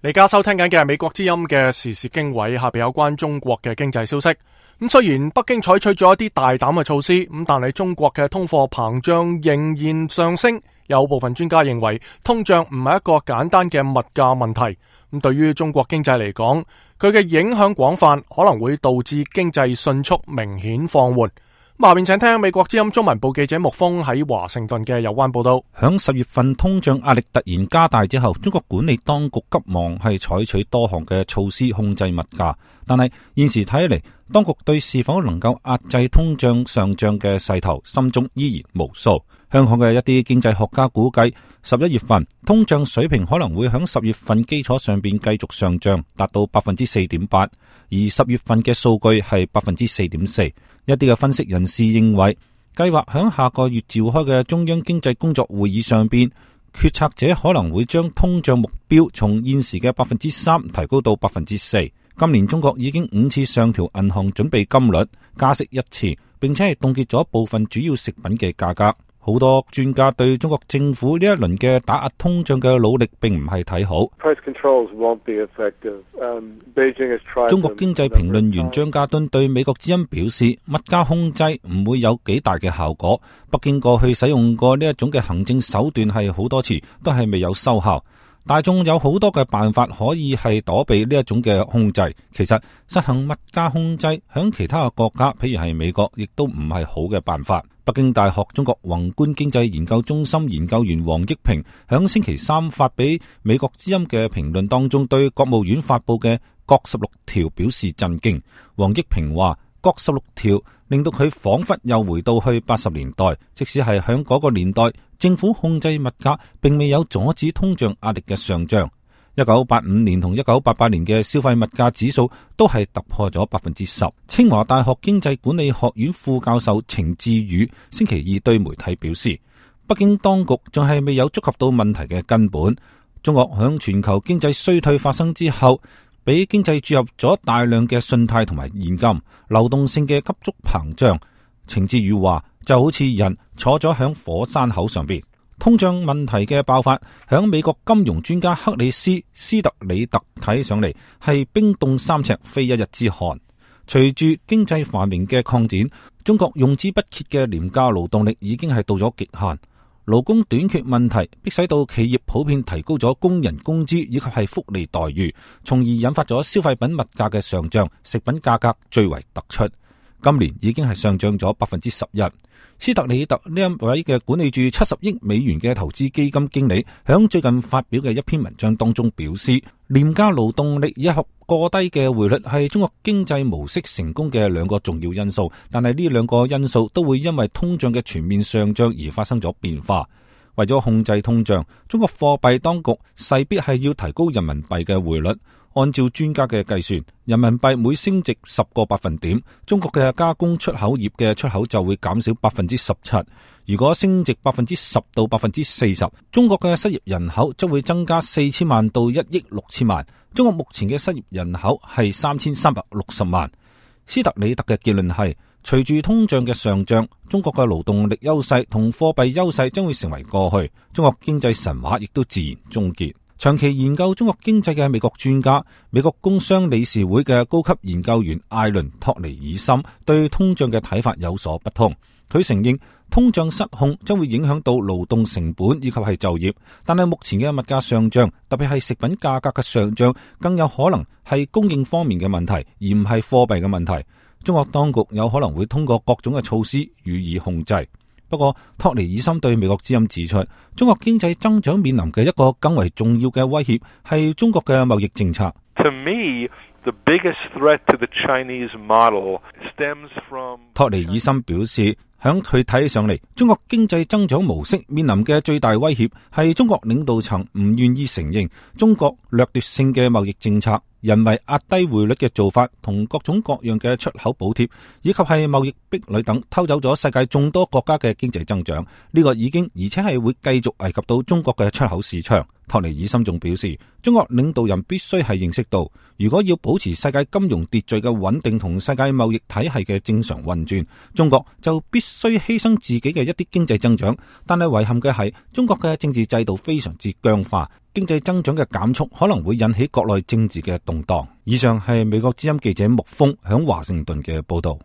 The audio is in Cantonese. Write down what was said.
你而家收聽緊嘅係美國之音嘅時事經緯，下邊有關中國嘅經濟消息。咁雖然北京採取咗一啲大膽嘅措施，咁但係中國嘅通貨膨脹仍然上升。有部分專家認為，通脹唔係一個簡單嘅物價問題。咁對於中國經濟嚟講，佢嘅影響廣泛，可能會導致經濟迅速明顯放緩。下面請聽美國之音中文部記者穆峰喺華盛頓嘅有關報道。響10月份通脹壓力突然加大之後，中國管理當局急忙係採取多項嘅措施控制物價，但係現時睇嚟，當局對是否能夠壓制通脹上漲嘅勢頭心中依然無數。香港嘅一啲經濟學家估計，11月份通脹水平可能會響10月份基礎上邊繼續上漲，達到 4.8%， 而10月份嘅數據係 4.4%。一啲嘅分析人士認為，計劃響下個月召開嘅中央經濟工作會議上邊，決策者可能會將通脹目標從現時嘅 3% 提高到 4%。今年中國已經5次上調銀行準備金率，加息1次，並且係凍結咗部分主要食品嘅價格。好多專家對中國政府呢一輪嘅打壓通脹嘅努力並唔係睇好。中國經濟評論員張家敦對美國之音表示，物價控制唔會有幾大嘅效果。北京過去使用過呢一種嘅行政手段係好多次，都係未有收效。大眾有好多嘅辦法可以係躲避呢一種嘅控制。其實實行物價控制響其他嘅國家，譬如係美國，亦都唔係好嘅辦法。北京大學中國宏觀經濟研究中心研究員王益平響星期三發俾美國之音嘅評論當中，對國務院發布嘅國16條表示震驚。王益平話，國16條令到佢仿佛又回到去80年代，即使係響嗰個年代，政府控制物價並未有阻止通脹壓力嘅上漲。1985年同1988年嘅消費物價指數都係突破咗 10%。清華大學經濟管理學院副教授程志宇星期二對媒體表示，北京當局仲係未有觸及到問題嘅根本。中國響全球經濟衰退發生之後，俾經濟注入咗大量嘅信貸同埋現金，流動性嘅急速膨脹。程志宇話，就好似人坐咗響火山口上邊。通脹問題嘅爆發，響美國金融專家克里斯斯特里特睇上嚟係冰凍三尺非一日之寒。隨住經濟繁榮嘅擴展，中國用之不竭嘅廉價勞動力已經係到咗極限。勞工短缺問題迫使到企業普遍提高咗工人工資以及係福利待遇，從而引發咗消費品物價嘅上漲，食品價格最為突出。今年已經係上漲咗 11%。斯特里特呢一位嘅管理住70億美元嘅投資基金經理，響最近發表嘅一篇文章當中表示，廉價勞動力以及過低嘅匯率係中國經濟模式成功嘅兩個重要因素，但係呢兩個因素都會因為通脹嘅全面上漲而發生咗變化。為咗控制通脹，中國貨幣當局勢必係要提高人民幣嘅匯率。按照專家嘅計算，人民幣每升值10個百分點，中國嘅加工出口業嘅出口就會減少 17%。如果升值 10% 到 40%， 中國嘅失業人口將會增加4000萬到1億6千萬。中國目前嘅失業人口係3360萬。斯特里特嘅結論係，隨住通脹嘅上漲，中國嘅勞動力優勢同貨幣優勢將會成為過去，中國經濟神話亦都自然終結。長期研究中國經濟嘅美國專家、美國工商理事會嘅高級研究員艾倫托尼爾森對通脹嘅睇法有所不同。佢承認通脹失控將會影響到勞動成本以及係就業，但係目前嘅物價上漲，特別係食品價格嘅上漲，更有可能係供應方面嘅問題，而唔係貨幣嘅問題。中國當局有可能會通過各種嘅措施予以控制。不過，托尼爾森對美國之音指出，中國經濟增長面臨嘅一個更為重要嘅威脅係中國嘅貿易政策。To me, the biggest threat to the Chinese model stems from... 托尼爾森表示，響佢睇起上嚟，中國經濟增長模式面臨嘅最大威脅係中國領導層唔願意承認中國掠奪性嘅貿易政策、人為壓低匯率嘅做法同各種各樣嘅出口補貼，以及係貿易壁壘等，偷走咗世界眾多國家嘅經濟增長。呢個已經而且係會繼續危及到中國嘅出口市場。托尼爾森仲表示，中國領導人必須係認識到，如果要保持世界金融秩序嘅穩定同世界貿易體系嘅正常運轉，中國就必須犧牲自己嘅一啲經濟增長。但係遺憾嘅係，中國嘅政治制度非常之僵化，經濟增長嘅減速可能會引起國內政治嘅動盪。以上係美國之音記者穆峰響華盛頓嘅報道。